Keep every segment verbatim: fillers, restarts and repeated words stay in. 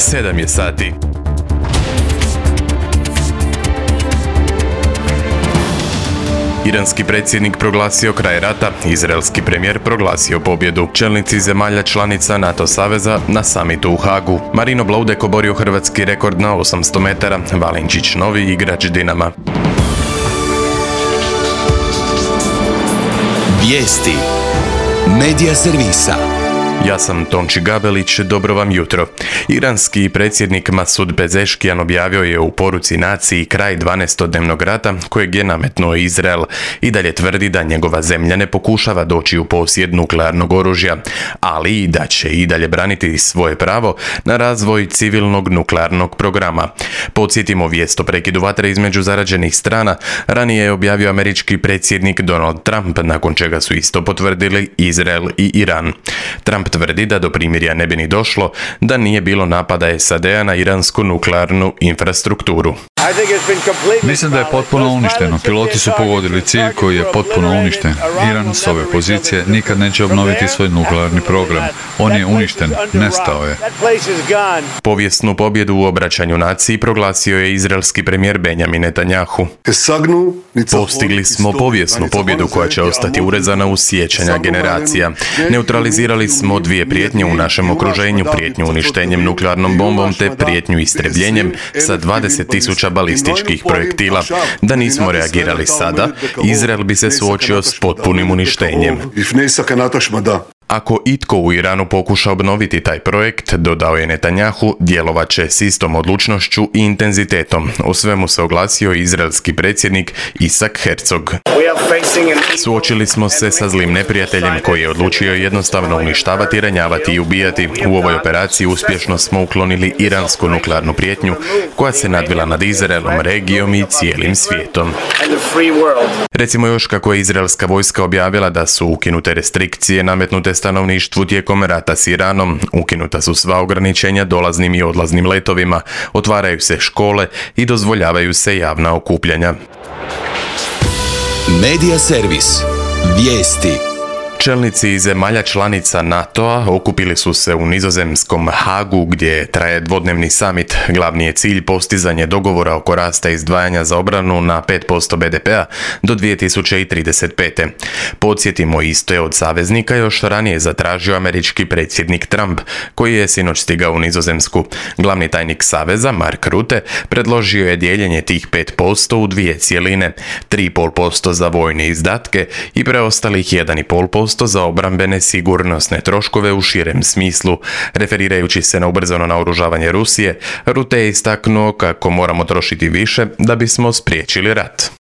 sedam je sati. Iranski predsjednik proglasio kraj rata, izraelski premijer proglasio pobjedu. Čelnici zemalja članica NATO saveza na samitu u Hagu. Marino Blaudek oborio hrvatski rekord na osamsto metara, Valinčić novi igrač Dinama. Vijesti Medija servisa. Ja sam Tonči Gabelić, dobro vam jutro. Iranski predsjednik Masud Pezeškijan objavio je u poruci naciji kraj dvanaestodnevnog rata kojeg je nametnuo Izrael i dalje tvrdi da njegova zemlja ne pokušava doći u posjed nuklearnog oružja, ali i da će i dalje braniti svoje pravo na razvoj civilnog nuklearnog programa. Podsjetimo, vijest o prekidu vatre između zarađenih strana ranije je objavio američki predsjednik Donald Trump, nakon čega su isto potvrdili Izrael i Iran. Trump tvrdi da do primirja ne bi ni došlo da nije bilo napada S A D-a na iransku nuklearnu infrastrukturu. Mislim da je potpuno uništeno. Piloti su pogodili cilj koji je potpuno uništen. Iran s ove pozicije nikad neće obnoviti svoj nuklearni program. On je uništen, nestao je. Povijesnu pobjedu u obraćanju naciji proglasio je izraelski premijer Benjamin Netanjahu. Postigli smo povijesnu pobjedu koja će ostati urezana u sjećanja generacija. Neutralizirali smo dvije prijetnje u našem okruženju, prijetnju uništenjem nuklearnom bombom te prijetnju istrebljenjem sa dvadeset tisuća balističkih projektila. Da nismo reagirali sada, Izrael bi se suočio s potpunim uništenjem. Ako itko u Iranu pokuša obnoviti taj projekt, dodao je Netanjahu, djelovat će s istom odlučnošću i intenzitetom. O svemu se oglasio izraelski predsjednik Isak Herzog. Suočili smo se sa zlim neprijateljem koji je odlučio jednostavno uništavati, ranjavati i ubijati. U ovoj operaciji uspješno smo uklonili iransku nuklearnu prijetnju koja se nadvila nad Izraelom, regijom i cijelim svijetom. Recimo još kako je izraelska vojska objavila da su ukinute restrikcije nametnute stanovništvu tijekom rata s Iranom, ukinuta su sva ograničenja dolaznim i odlaznim letovima, otvaraju se škole i dozvoljavaju se javna okupljanja. Medija servis. Vijesti. Čelnici zemalja članica NATO-a okupili su se u nizozemskom Hagu gdje traje dvodnevni samit. Glavni je cilj postizanje dogovora oko rasta izdvajanja za obranu na pet posto B D P-a do dvije tisuće trideset pete. Podsjetimo, isto je od saveznika još ranije zatražio američki predsjednik Trump, koji je sinoć stigao u Nizozemsku. Glavni tajnik saveza, Mark Rutte, predložio je dijeljenje tih pet posto u dvije cijeline, tri zarez pet posto za vojne izdatke i preostalih jedan zarez pet posto za obrambene sigurnosne troškove u širem smislu. Referirajući se na ubrzano naoružavanje Rusije, Rutte je istaknuo kako moramo trošiti više da bismo spriječili rat.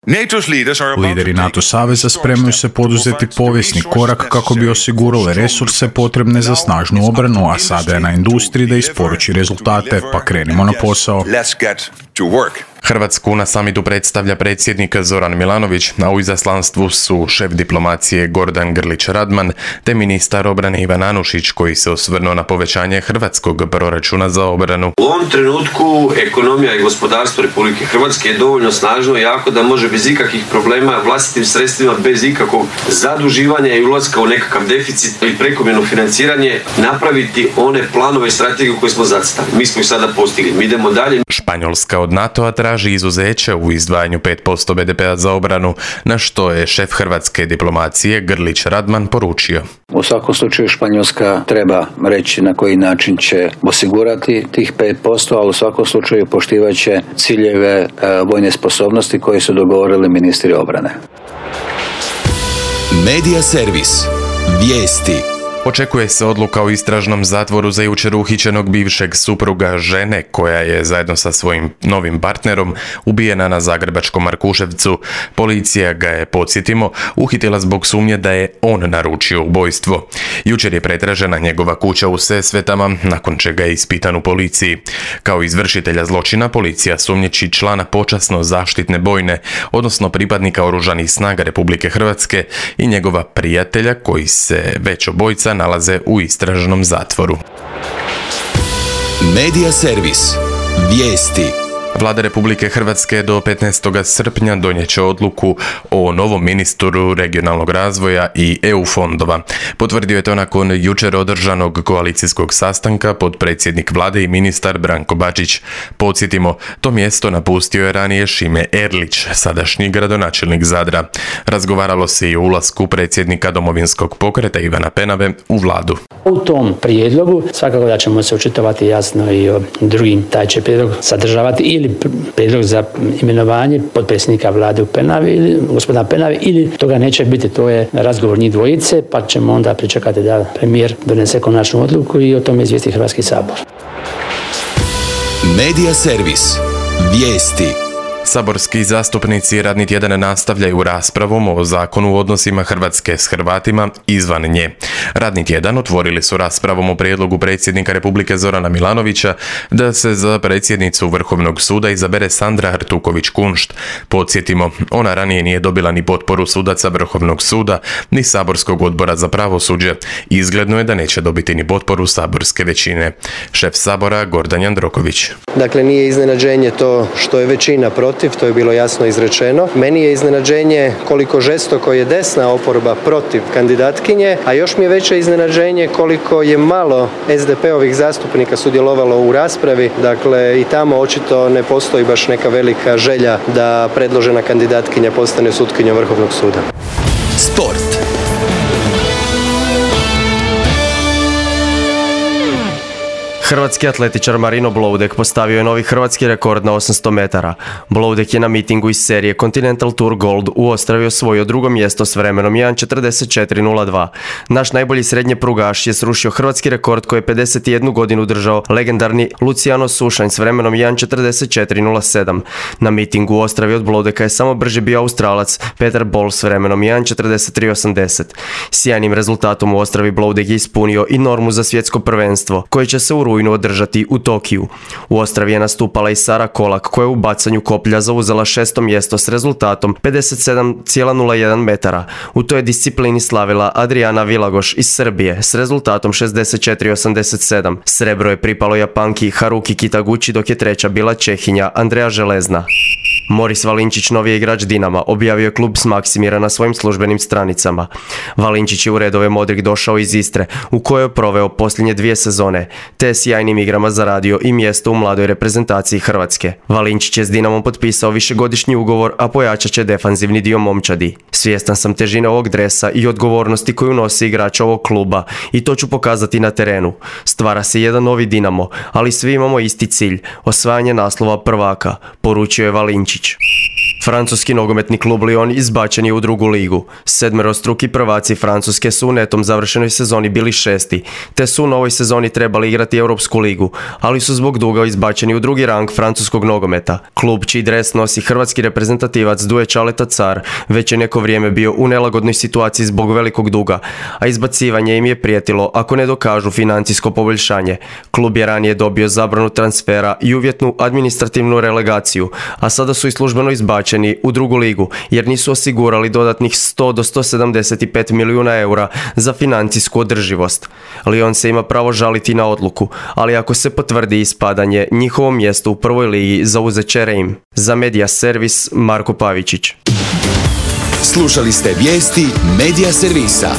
Lideri NATO saveza spremaju se poduzeti povijesni korak kako bi osigurali resurse potrebne za snažnu obranu, a sada je na industriji da isporuči rezultate, pa krenimo na posao. Hrvatsku na samitu predstavlja predsjednik Zoran Milanović, a u izaslanstvu su šef diplomacije Gordan Grlić Radman te ministar obrane Ivan Anušić, koji se osvrnuo na povećanje hrvatskog proračuna za obranu. U ovom trenutku ekonomija i gospodarstvo Republike Hrvatske je dovoljno snažno i jako da može bez ikakvih problema vlastitim sredstvima, bez ikakvog zaduživanja i ulaska u nekakav deficit ili prekomjerno financiranje napraviti one planove i strategije koje smo zacrtali. Mi smo ih sada postigli. Mi idemo dalje. Španjolska od NATO-a traži izuzeće u izdvajanju pet posto B D P-a za obranu, na što je šef hrvatske diplomacije Grlić Radman poručio. U svakom slučaju Španjolska treba reći na koji način će osigurati tih pet posto, ali u svakom slučaju poštivat će ciljeve e, vojne sposobnosti koje su dogovorili ministri obrane. Medija servis. Vijesti. Očekuje se odluka o istražnom zatvoru za jučer uhićenog bivšeg supruga žene koja je zajedno sa svojim novim partnerom ubijena na zagrebačkom Markuševcu. Policija ga je, podsjetimo, uhitila zbog sumnje da je on naručio ubojstvo. Jučer je pretražena njegova kuća u Sesvetama, nakon čega je ispitan u policiji. Kao izvršitelja zločina policija sumnjiči člana počasno zaštitne bojne, odnosno pripadnika oružanih snaga Republike Hrvatske i njegova prijatelja koji se već obojica nalaze u istražnom zatvoru. Medija servis. Vijesti. Vlada Republike Hrvatske do petnaestog srpnja donijet će odluku o novom ministru regionalnog razvoja i E U fondova. Potvrdio je to nakon jučer održanog koalicijskog sastanka potpredsjednik vlade i ministar Branko Bačić. Podsjetimo, to mjesto napustio je ranije Šime Erlić, sadašnji gradonačelnik Zadra. Razgovaralo se i o ulasku predsjednika Domovinskog pokreta Ivana Penave u vladu. U tom prijedlogu svakako da ćemo se očitovati jasno i o drugim, taj će prijedlog sadržavati ili prijedlog za imenovanje potpredsjednika vlade u Penavi ili gospodina Penavi, ili toga neće biti, to je razgovor njih dvojice, pa ćemo onda pričekati da premijer donese konačnu odluku i o tome izvijesti Hrvatski sabor. Medija servis. Vijesti. Saborski zastupnici radni tjedan nastavljaju raspravom o zakonu o odnosima Hrvatske s Hrvatima izvan nje. Radni tjedan otvorili su raspravom o prijedlogu predsjednika Republike Zorana Milanovića da se za predsjednicu Vrhovnog suda izabere Sandra Artuković-Kunšt. Podsjetimo, ona ranije nije dobila ni potporu sudaca Vrhovnog suda, ni saborskog odbora za pravosuđe. Izgledno je da neće dobiti ni potporu saborske većine. Šef sabora Gordan Jandroković. Dakle, nije iznenađenje to što je većina protiv, to je bilo jasno izrečeno. Meni je iznenađenje koliko žestoko je desna oporba protiv kandidatkinje, a još mi je veće iznenađenje koliko je malo es de pe-ovih zastupnika sudjelovalo u raspravi. Dakle, i tamo očito ne postoji baš neka velika želja da predložena kandidatkinja postane sutkinjom Vrhovnog suda. Sport. Hrvatski atletičar Marino Bloudek postavio je novi hrvatski rekord na osamsto metara. Bloudek je na mitingu iz serije Continental Tour Gold u Ostravi osvojio drugo mjesto s vremenom jedan četrdeset četiri nula dva. Naš najbolji srednje prugaš je srušio hrvatski rekord koji je pedeset jednu godinu držao legendarni Luciano Sušanj s vremenom jedan četrdeset četiri nula sedam. Na mitingu u Ostravi od Bloudeka je samo brže bio Australac Peter Bol s vremenom jedan četrdeset tri osamdeset. Sjajnim rezultatom u Ostravi Bloudek je ispunio i normu za svjetsko prvenstvo koje će se u rujnu održati u Tokiju. U Ostravi je nastupala i Sara Kolak koja je u bacanju koplja zauzela šesto mjesto s rezultatom pedeset sedam zarez nula jedan metara. U toj disciplini slavila Adriana Vilagoš iz Srbije s rezultatom šezdeset četiri osamdeset sedam. Srebro je pripalo Japanki Haruki Kitaguchi, dok je treća bila Čehinja Andreja Železna. Moris Valinčić, novi je igrač Dinama, objavio je klub s Maksimira na svojim službenim stranicama. Valinčić je u redove modrih došao iz Istre, u kojoj je proveo posljednje dvije sezone, te je sjajnim igrama zaradio i mjesto u mladoj reprezentaciji Hrvatske. Valinčić je s Dinamom potpisao višegodišnji ugovor, a pojačat će defanzivni dio momčadi. Svjestan sam težine ovog dresa i odgovornosti koju nosi igrač ovog kluba i to ću pokazati na terenu. Stvara se jedan novi Dinamo, ali svi imamo isti cilj, osvajanje naslova prvaka, poručio je Valinčić. Francuski nogometni klub Lyon izbačen je u drugu ligu. Sedmerostruki prvaci Francuske su u netom završenoj sezoni bili šesti, te su u novoj sezoni trebali igrati Europsku ligu, ali su zbog duga izbačeni u drugi rang francuskog nogometa. Klub čiji dres nosi hrvatski reprezentativac Duje Čaleta Car već je neko vrijeme bio u nelagodnoj situaciji zbog velikog duga, a izbacivanje im je prijetilo ako ne dokažu financijsko poboljšanje. Klub je ranije dobio zabranu transfera i uvjetnu administrativnu relegaciju, a sada su i službeno izbačeni u drugu ligu jer nisu osigurali dodatnih sto do sto sedamdeset pet milijuna eura za financijsku održivost. Lyon se ima pravo žaliti na odluku, ali ako se potvrdi ispadanje, njihovo mjesto u prvoj ligi zauzet će Reim. Za Medija servis Marko Pavičić. Slušali ste vijesti Medija servisa.